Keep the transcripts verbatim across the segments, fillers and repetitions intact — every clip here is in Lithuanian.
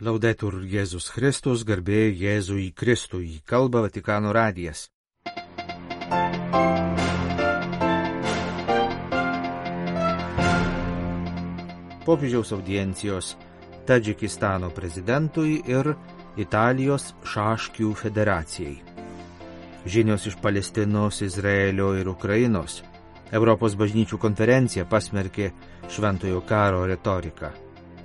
Laudetur Jėzus Kristus, garbė Jėzui Kristui, kalba Vatikano radijas. Popiežiaus audiencijos Tadžikistano prezidentui ir Italijos šaškių federacijai. Žinios iš Palestinos, Izraelio ir Ukrainos. Europos bažnyčių konferencija pasmerkė šventojo karo retoriką.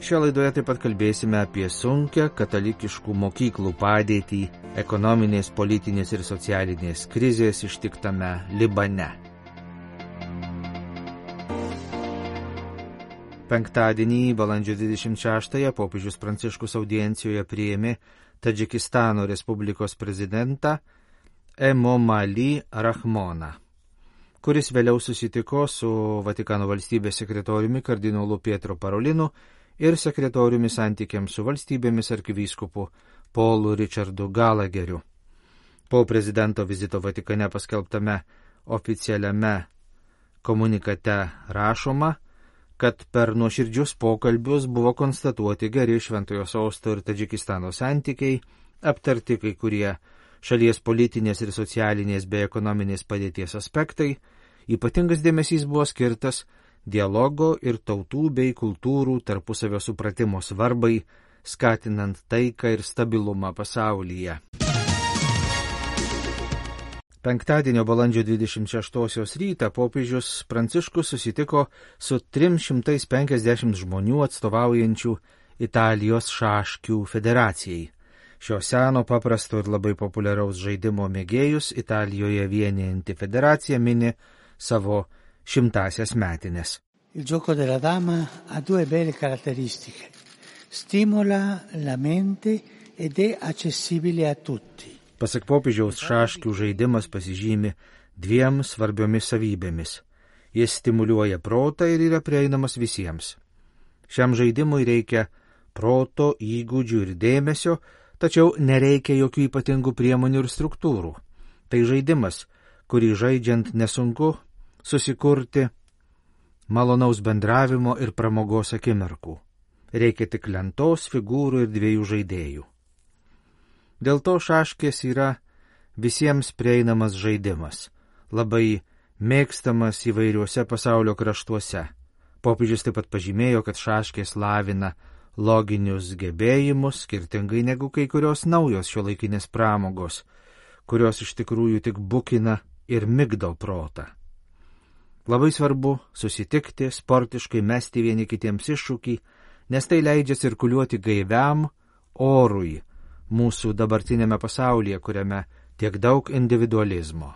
Šioje laidoje taip pat kalbėsime apie sunkią katalikiškų mokyklų padėtį ekonominės, politinės ir socialinės krizės ištiktame Libane. Penktadienį, balandžio dvidešimt šeštąją, popiežius Pranciškus audiencijoje priėmė Tadžikistano Respublikos prezidentą Emomali Rahmoną, kuris vėliau susitiko su Vatikano valstybės sekretoriumi kardinolu Pietro Parolinu ir sekretoriumi santykiams su valstybėmis arkivyskupu Paulu Richardu Galageriu. Po prezidento vizito Vatikane paskelbtame oficialiame komunikate rašoma, kad per nuoširdžius pokalbius buvo konstatuoti geri Šventojo Sosto ir Tadžikistano santykiai, aptarti kai kurie šalies politinės ir socialinės bei ekonominės padėties aspektai. Ypatingas dėmesys buvo skirtas dialogo ir tautų bei kultūrų tarpusavio supratimo svarbai, skatinant taiką ir stabilumą pasaulyje. Penktadienio balandžio dvidešimt šeštosios rytą popiežius Pranciškus susitiko su trimis šimtais penkiasdešimt žmonių atstovaujančių Italijos šaškių federacijai. Šio seno, paprasto ir labai populiaraus žaidimo mėgėjus Italijoje vienijanti federacija mini savo šimtasias metinės. Il gioco della dama ha due belle caratteristiche. Stimola la mente ed è accessibile a tutti. Pasak popiežiaus, šaškių žaidimas pasižymi dviem svarbiomis savybėmis. Jis stimuliuoja protą ir yra prieinamas visiems. Šiam žaidimui reikia proto, įgūdžių ir dėmesio, tačiau nereikia jokių ypatingų priemonių ir struktūrų. Tai žaidimas, kurį žaidžiant nesunku susikurti malonaus bendravimo ir pramogos akimirkų. Reikia tik lentos, figūrų ir dviejų žaidėjų. Dėl to šaškės yra visiems prieinamas žaidimas, labai mėgstamas įvairiuose pasaulio kraštuose. Popiežius taip pat pažymėjo, kad šaškės lavina loginius gebėjimus, skirtingai negu kai kurios naujos šiuolaikinės pramogos, kurios iš tikrųjų tik bukina ir migdo protą. Labai svarbu susitikti, sportiškai mesti vieni kitiems iššūkį, nes tai leidžia cirkuliuoti gaiviam orui mūsų dabartinėme pasaulyje, kuriame tiek daug individualizmo.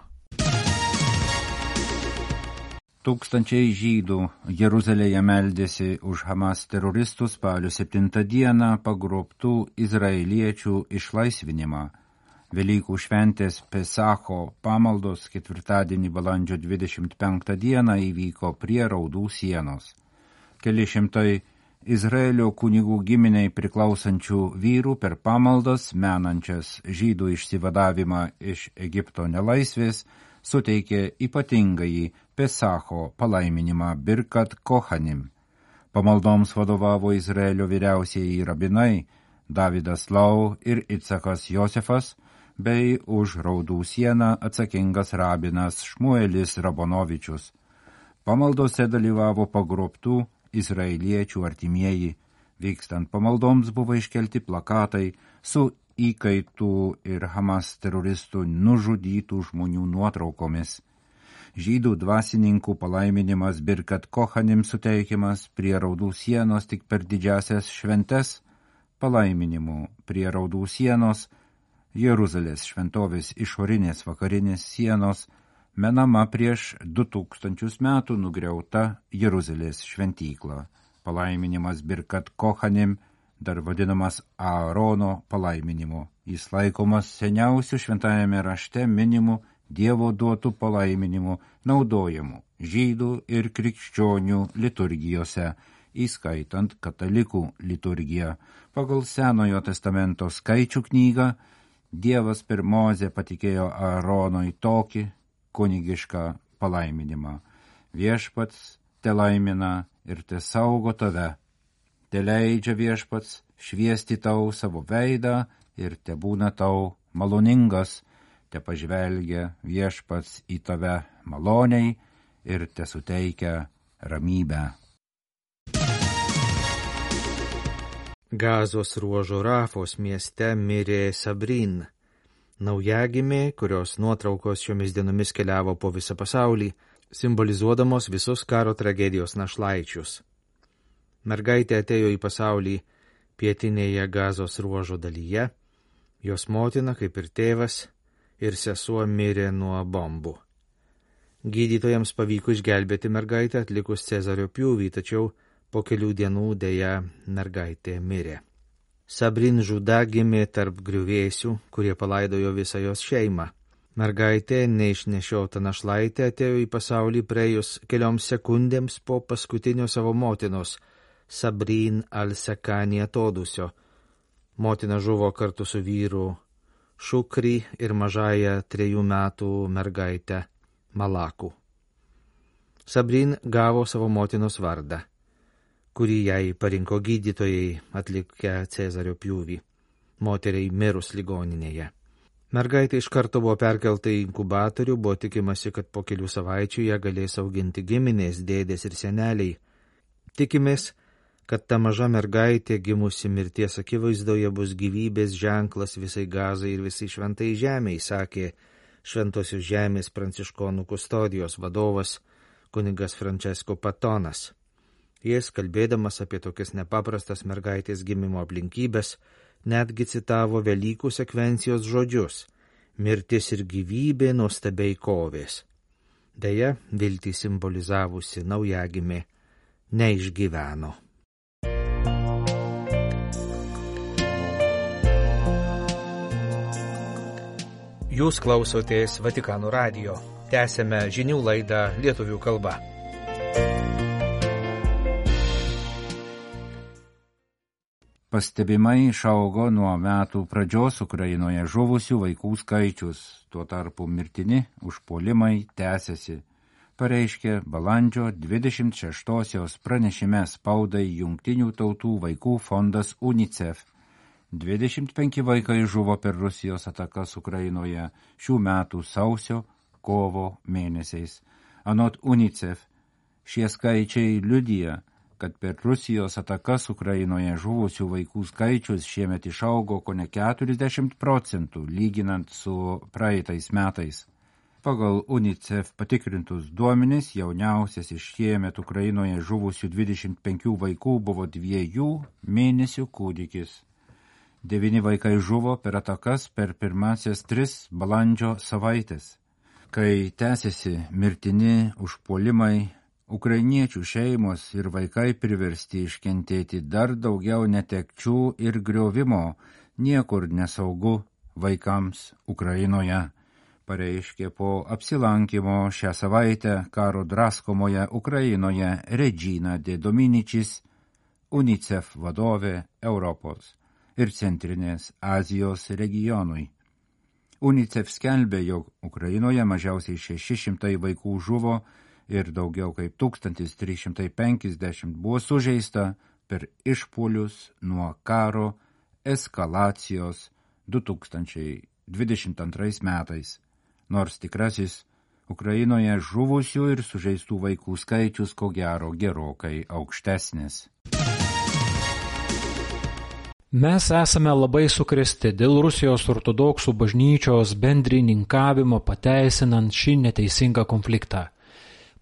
Tūkstančiai žydų Jeruzalėje meldėsi už Hamas teroristus spalio septintą dieną pagrobtų izraeliečių išlaisvinimą. Velykų šventės Pesacho pamaldos ketvirtadienį balandžio dvidešimt penktą dieną įvyko prie Raudų sienos. Keli šimtai Izraelio kunigų giminiai priklausančių vyrų per pamaldas, menančias žydų išsivadavimą iš Egipto nelaisvės, suteikė ypatingąjį Pesacho palaiminimą Birkat Kohanim. Pamaldoms vadovavo Izraelio vyriausieji rabinai Davidas Lau ir Itzakas Josefas, bei už Raudų sieną atsakingas rabinas Šmuelis Rabonovičius. Pamaldose dalyvavo pagrobtų izraeliečių artimieji. Vykstant pamaldoms buvo iškelti plakatai su įkaitų ir Hamas teroristų nužudytų žmonių nuotraukomis. Žydų dvasininkų palaiminimas Birkat Kohanim suteikiamas prie Raudų sienos tik per didžiasias šventes. Palaiminimu prie Raudų sienos Jeruzalės šventovės išorinės vakarinės sienos menama prieš du tūkstančius metų nugriauta Jeruzalės šventykla. Palaiminimas Birkat Kohanim, dar vadinamas Aarono palaiminimu. Jis laikomas seniausiu šventajame rašte minimu Dievo duotų palaiminimu naudojamu žydų ir krikščionių liturgijose, įskaitant katalikų liturgiją. Pagal Senojo testamento skaičių knygą Dievas per Mozę patikėjo Aaronui tokį kunigišką palaiminimą. Viešpats te laimina ir te saugo tave. te leidžia Viešpats šviesti tau savo veidą ir te būna tau maloningas, te pažvelgia Viešpats į tave maloniai ir te suteikia ramybę. Gazos ruožo Rafos mieste mirė Sabrin, naujagimė, kurios nuotraukos šiomis dienomis keliavo po visą pasaulį, simbolizuodamos visus karo tragedijos našlaičius. Mergaitė atėjo į pasaulį pietinėje Gazos ruožo dalyje, jos motina, kaip ir tėvas, ir sesuo mirė nuo bombų. Gydytojams pavyko išgelbėti mergaitę atlikus Cezario pjūvį, tačiau po kelių dienų dėja mergaitė mirė. Sabrin Žuda gimė tarp griuvėsių, kurie palaidojo visą jos šeimą. Mergaitė, neišnešiota našlaitė, atėjo į pasaulį praėjus kelioms sekundėms po paskutinio savo motinos, Sabrin al-Sakani atodusio. Motina žuvo kartu su vyru Šukri ir mažąją trejų metų mergaitę Malaku. Sabrin gavo savo motinos vardą, kurį jai parinko gydytojai atlikę Cezario pjūvį, moteriai mirus ligoninėje. Mergaitė iš karto buvo perkelta į inkubatorių, buvo tikimasi, kad po kelių savaičių ją galės auginti giminės, dėdės ir seneliai. Tikimės, kad ta maža mergaitė gimusi mirties akivaizdoje bus gyvybės ženklas visai Gazai ir visai šventai žemei, sakė Šventosios žemės pranciškonų kustodijos vadovas kunigas Francesco Patonas. Jis, kalbėdamas apie tokias nepaprastas mergaitės gimimo aplinkybės, netgi citavo Velykų sekvencijos žodžius: mirtis ir gyvybė nuostabiai kovės. Deja, viltį simbolizavusi naujagimė neišgyveno. Jūs klausotės Vatikano radijo. Tęsėme žinių laidą lietuvių kalba. Pastebimai išaugo nuo metų pradžios Ukrainoje žuvusių vaikų skaičius, tuo tarpu mirtini užpuolimai tęsiasi, pareiškė balandžio dvidešimt šeštosios pranešime spaudai Jungtinių tautų vaikų fondas UNICEF. dvidešimt penki vaikai žuvo per Rusijos atakas Ukrainoje šių metų sausio, kovo mėnesiais. Anot UNICEF, šie skaičiai liudija, kad per Rusijos atakas Ukrainoje žuvusių vaikų skaičius šiemet išaugo kone keturiasdešimt procentų, lyginant su praeitais metais. Pagal UNICEF patikrintus duomenis, jauniausias iš šiemet Ukrainoje žuvusių dvidešimt penkių vaikų buvo dviejų mėnesių kūdikis. Devyni vaikai žuvo per atakas per pirmasias tris balandžio savaitės. Kai tęsiasi mirtini užpuolimai, ukrainiečių šeimos ir vaikai priversti iškentėti dar daugiau netekčių ir griovimo, niekur nesaugu vaikams Ukrainoje, pareiškė po apsilankimo šią savaitę karo draskomoje Ukrainoje Regina de Dominicis, UNICEF vadovė Europos ir Centrinės Azijos regionui. UNICEF skelbė, jog Ukrainoje mažiausiai šeši šimtai vaikų žuvo ir daugiau kaip tūkstantis trys šimtai penkiasdešimt buvo sužeista per išpuolius nuo karo eskalacijos du tūkstančiai dvidešimt antrais metais, nors tikrasis Ukrainoje žuvusių ir sužeistų vaikų skaičius ko gero gerokai aukštesnis. Mes esame labai sukrėsti dėl Rusijos ortodoksų bažnyčios bendrininkavimo pateisinant šį neteisingą konfliktą,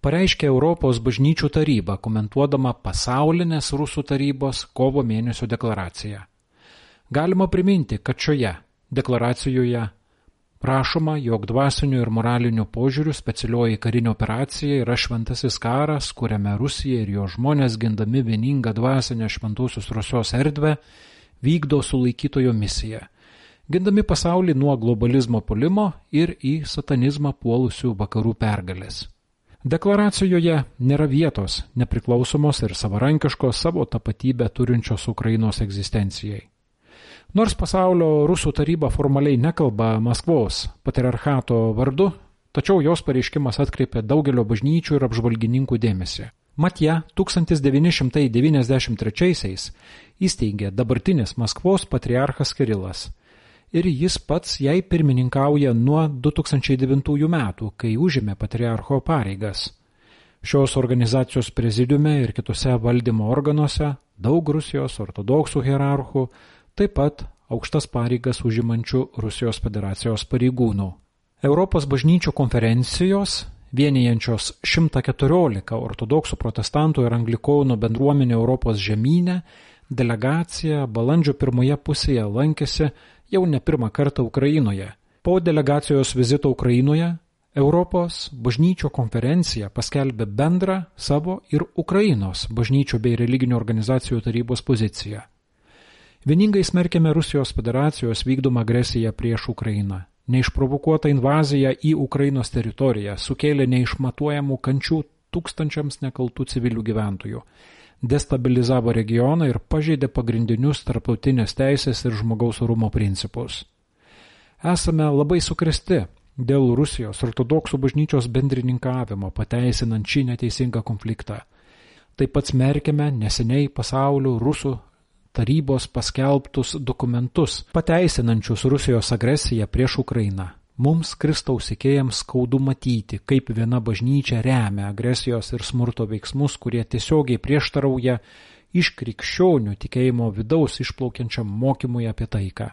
pareiškė Europos bažnyčių taryba, komentuodama pasaulinės Rusų tarybos kovo mėnesio deklaraciją. Galima priminti, kad šioje deklaracijoje prašoma, jog dvasinių ir moralinių požiūrių specialioji karinė operacija yra šventasis karas, kuriame Rusija ir jo žmonės, gindami vieningą dvasinę šventosios Rusijos erdvę, vykdo sulaikytojo misiją, gindami pasaulį nuo globalizmo puolimo ir į satanizmą puolusių vakarų pergalės. Deklaracijoje nėra vietos nepriklausomos ir savarankiškos savo tapatybę turinčios Ukrainos egzistencijai. Nors pasaulio Rusų taryba formaliai nekalba Maskvos patriarchato vardu, tačiau jos pareiškimas atkreipė daugelio bažnyčių ir apžvalgininkų dėmesį. Mat ją tūkstantis devyni šimtai devyniasdešimt trečiaisiais įsteigė dabartinis Maskvos patriarchas Kirilas ir jis pats jai pirmininkauja nuo du tūkstančiai devintųjų metų, kai užėmė patriarcho pareigas. Šios organizacijos prezidiume ir kitose valdymo organuose daug Rusijos ortodoksų hierarchų, taip pat aukštas pareigas užimančių Rusijos federacijos pareigūnų. Europos bažnyčių konferencijos, vienijančios šimtą keturiolika ortodoksų protestantų ir anglikonų bendruomenė Europos žemyne, delegacija balandžio pirmoje pusėje lankėsi jau ne pirmą kartą Ukrainoje. Po delegacijos vizito Ukrainoje Europos bažnyčių konferencija paskelbė bendrą savo ir Ukrainos bažnyčių bei religinių organizacijų tarybos poziciją. Vieningai smerkėme Rusijos federacijos vykdomą agresiją prieš Ukrainą. Neišprovokuota invazija į Ukrainos teritoriją sukėlė neišmatuojamų kančių tūkstančiams nekaltų civilių gyventojų, destabilizavo regioną ir pažeidė pagrindinius tarptautinės teisės ir žmogaus orumo principus. Esame labai sukrėsti dėl Rusijos ortodoksų bažnyčios bendrininkavimo pateisinant šį neteisingą konfliktą. Taip pat smerkėme neseniai pasaulio Rusų tarybos paskelbtus dokumentus, pateisinančius Rusijos agresiją prieš Ukrainą. Mums, Kristaus sekėjams, skaudu matyti, kaip viena bažnyčia remia agresijos ir smurto veiksmus, kurie tiesiogiai prieštarauja iš krikščionių tikėjimo vidaus išplaukiančiam mokymui apie taiką.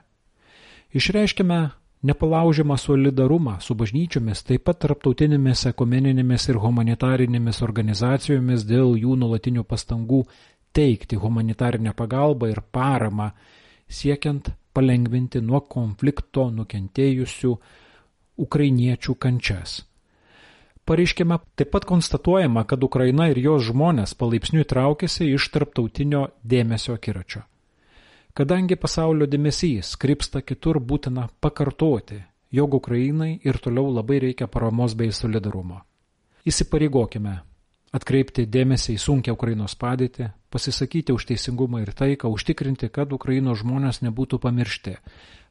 Išreiškime nepalaužiamą solidarumą su bažnyčiomis, taip pat tarptautinėmis ekumeninėmis ir humanitarinėmis organizacijomis dėl jų nuolatinių pastangų teikti humanitarinę pagalbą ir paramą, siekiant palengvinti nuo konflikto nukentėjusių ukrainiečių kančias. Pareiškime, taip pat konstatuojama, kad Ukraina ir jos žmonės palaipsniui traukiasi iš tarptautinio dėmesio akiračio. Kadangi pasaulio dėmesys krypsta kitur, būtina pakartoti, jog Ukrainai ir toliau labai reikia paramos bei solidarumo. Įsipareigokime atkreipti dėmesį į sunkią Ukrainos padėtį, pasisakyti už teisingumą ir taiką, užtikrinti, kad Ukrainos žmonės nebūtų pamiršti.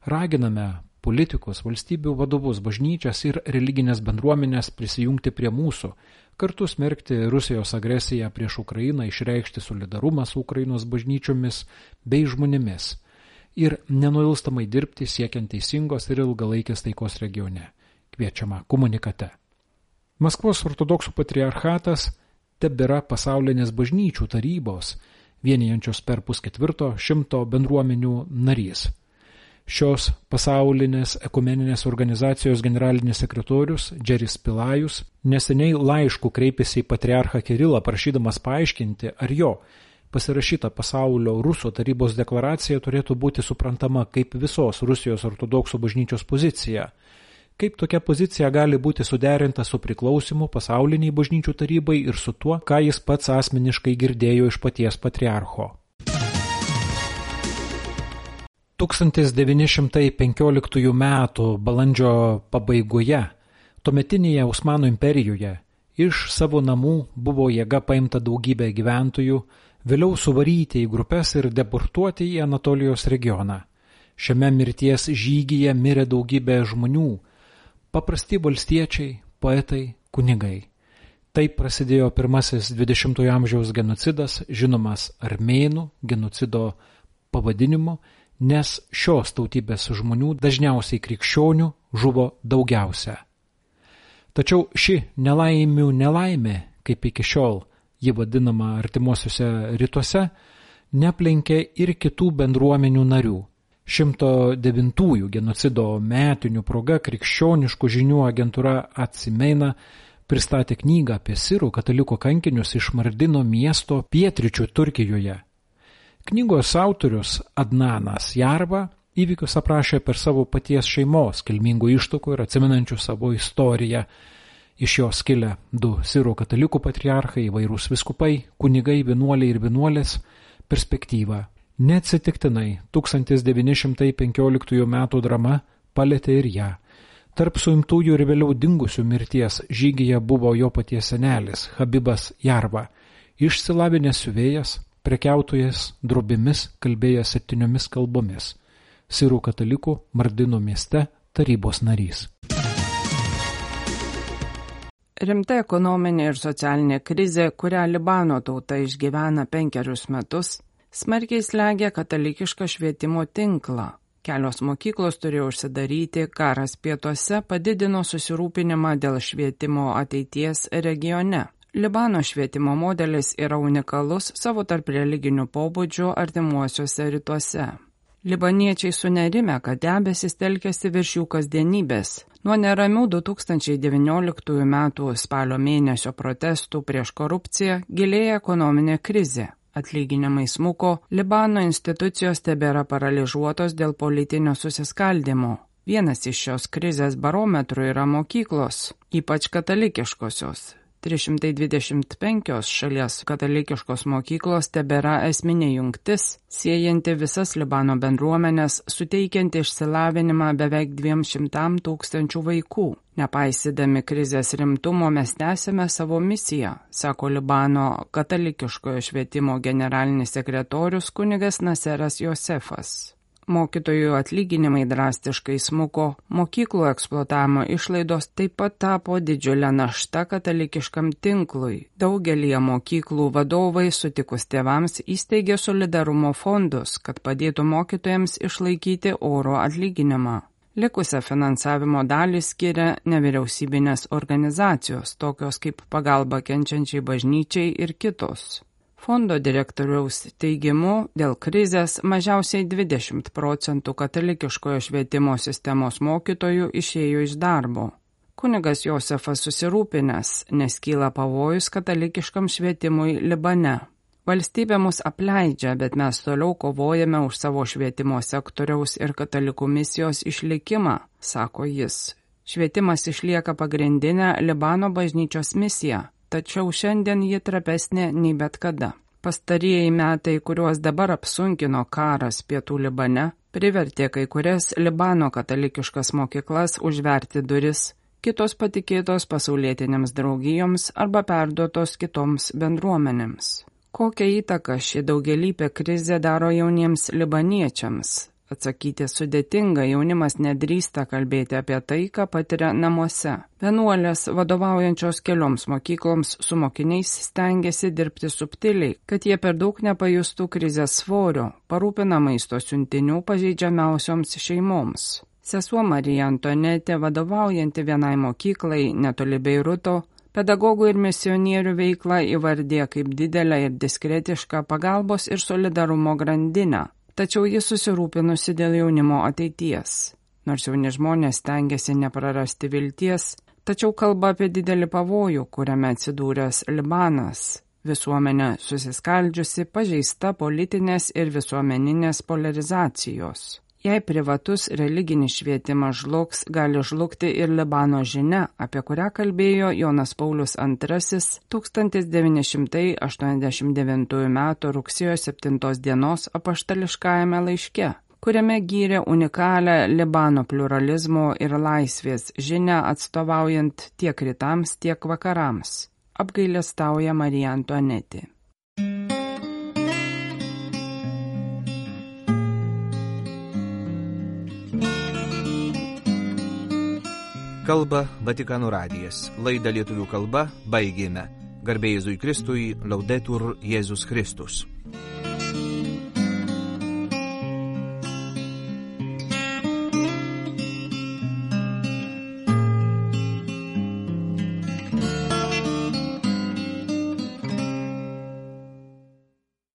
Raginame politikus, valstybių vadovus, bažnyčias ir religinės bendruomenės prisijungti prie mūsų, kartu smerkti Rusijos agresiją prieš Ukrainą, išreikšti solidarumą su Ukrainos bažnyčiomis bei žmonėmis ir nenuilstamai dirbti siekiant teisingos ir ilgalaikės taikos regione. Kviečiama komunikate. Maskvos ortodoksų patriarchatas tebėra pasaulinės bažnyčių tarybos, vienijančios per pusketvirto šimto bendruomenių narys. Šios pasaulinės ekumeninės organizacijos generalinis sekretorius Džeris Pilajus neseniai laišku kreipėsi į patriarchą Kirilą, prašydamas paaiškinti, ar jo pasirašyta pasaulio Rusų tarybos deklaracija turėtų būti suprantama kaip visos Rusijos ortodoksų bažnyčios pozicija. Kaip tokia pozicija gali būti suderinta su priklausimu pasauliniai bažnyčių tarybai ir su tuo, ką jis pats asmeniškai girdėjo iš paties patriarcho. tūkstantis devyni šimtai penkioliktųjų metų balandžio pabaigoje tuometinėje Osmanų imperijoje iš savo namų buvo jėga paimta daugybė gyventojų, vėliau suvaryti į grupes ir deportuoti į Anatolijos regioną. Šiame mirties žygyje mirė daugybė žmonių, paprasti valstiečiai, poetai, kunigai. Taip prasidėjo pirmasis dvidešimtojo amžiaus genocidas, žinomas armėnų genocido pavadinimu, nes šios tautybės žmonių, dažniausiai krikščionių, žuvo daugiausia. Tačiau ši nelaimių nelaimė, kaip iki šiol ji vadinama artimuosiuose rytuose, neaplenkė ir kitų bendruomenių narių. šimto devintųjų genocido metinių proga krikščioniškų žinių agentūra Atsimeina pristatė knygą apie sirų katalikų kankinius iš Mardino miesto pietryčių Turkijoje. Knygos autorius Adnanas Jarva įvykius aprašė per savo paties šeimos kilmingų ištakų ir atsimenančių savo istoriją. Iš jos kilę du sirų katalikų patriarchai, įvairūs viskupai, kunigai, vienuoliai ir vienuolės perspektyvą. Neatsitiktinai tūkstantis devyni šimtai penkioliktųjų metų drama palėtė ir ją. Tarp suimtųjų ir vėliau dingusių mirties žygyje buvo jo paties senelis Habibas Jarva, išsilavinęs siuvėjas, prekiautojas drobimis, kalbėjęs septyniomis kalbomis, sirų katalikų Mardino mieste tarybos narys. Rimta ekonominė ir socialinė krizė, kurią Libano tauta išgyvena penkerius metus, smarkiai slegia katalikišką švietimo tinklą. Kelios mokyklos turėjo užsidaryti, karas pietuose padidino susirūpinimą dėl švietimo ateities regione. Libano švietimo modelis yra unikalus savo tarp religinių pobūdžių artimuosiuose rytuose. Libaniečiai sunerime, kad debesis telkėsi virš jų kasdienybės. Nuo neramių du tūkstančiai devynioliktųjų metų spalio mėnesio protestų prieš korupciją gilėja ekonominė krizė. Atlyginimai smuko, Libano institucijos tebėra paralyžiuotos dėl politinio susiskaldimo. Vienas iš šios krizės barometrų yra mokyklos, ypač katalikiškosios. trys šimtai dvidešimt penkios šalies katalikiškos mokyklos tebėra esminė jungtis, siejanti visas Libano bendruomenės, suteikianti išsilavinimą beveik dviem šimtam tūkstančių vaikų. Nepaisydami krizės rimtumo mes tęsime savo misiją, sako Libano katalikiškojo švietimo generalinis sekretorius kunigas Naseras Josefas. Mokytojų atlyginimai drastiškai smuko, mokyklų eksploatavimo išlaidos taip pat tapo didžiulę naštą katalikiškam tinklui. Daugelį mokyklų vadovai sutikus tėvams įsteigė solidarumo fondus, kad padėtų mokytojams išlaikyti orų atlyginimą. Likusią finansavimo dalį skiria nevyriausybinės organizacijos, tokios kaip Pagalba kenčiančiai bažnyčiai ir kitos. Fondo direktoriaus teigimu, dėl krizės mažiausiai dvidešimt procentų katalikiškojo švietimo sistemos mokytojų išėjo iš darbo. Kunigas Josefas susirūpinęs, nes kyla pavojus katalikiškam švietimui Libane. Valstybė mus apleidžia, bet mes toliau kovojame už savo švietimo sektoriaus ir katalikų misijos išlikimą, sako jis. Švietimas išlieka pagrindinę Libano bažnyčios misiją. Tačiau šiandien ji trapesnė nei bet kada. Pastarieji metai, kuriuos dabar apsunkino karas pietų Libane, privertė kai kurias Libano katalikiškas mokyklas užverti duris, kitos patikėtos pasaulietinėms draugijoms arba perduotos kitoms bendruomenėms. Kokią įtaką ši daugialypė krizė daro jauniems libaniečiams? Atsakyti sudėtinga, jaunimas nedrįsta kalbėti apie tai, ką patiria namuose. Vienuolės, vadovaujančios kelioms mokykloms su mokiniais, stengiasi dirbti subtiliai, kad jie per daug nepajustų krizės svorio, parūpina maisto siuntinių pažeidžiamiausioms šeimoms. Sesuo Marija Antonetė, vadovaujanti vienai mokyklai netoli Beiruto, pedagogų ir misionierių veiklą įvardė kaip didelę ir diskretišką pagalbos ir solidarumo grandinę. Tačiau jis susirūpinusi dėl jaunimo ateities. Nors jauni žmonės stengiasi neprarasti vilties, tačiau kalba apie didelį pavojų, kuriame atsidūręs Libanas. Visuomenė susiskaldžiusi, pažeista politinės ir visuomeninės polarizacijos. Jei privatus religinis švietimas žlugs, gali žlugti ir Libano žinia, apie kurią kalbėjo Jonas Paulius antrasis tūkstantis devyni šimtai aštuoniasdešimt devintųjų metų rugsėjo septintos dienos apaštališkajame laiške, kuriame gyrė unikalią Libano pluralizmo ir laisvės žinią atstovaujant tiek rytams, tiek vakarams. Apgailestauja Marija Antonetė. Kalba Vatikano radijas. Laidą lietuvių kalba baigėme. Garbė Jėzui Kristui, Laudetur Jėzus Kristus.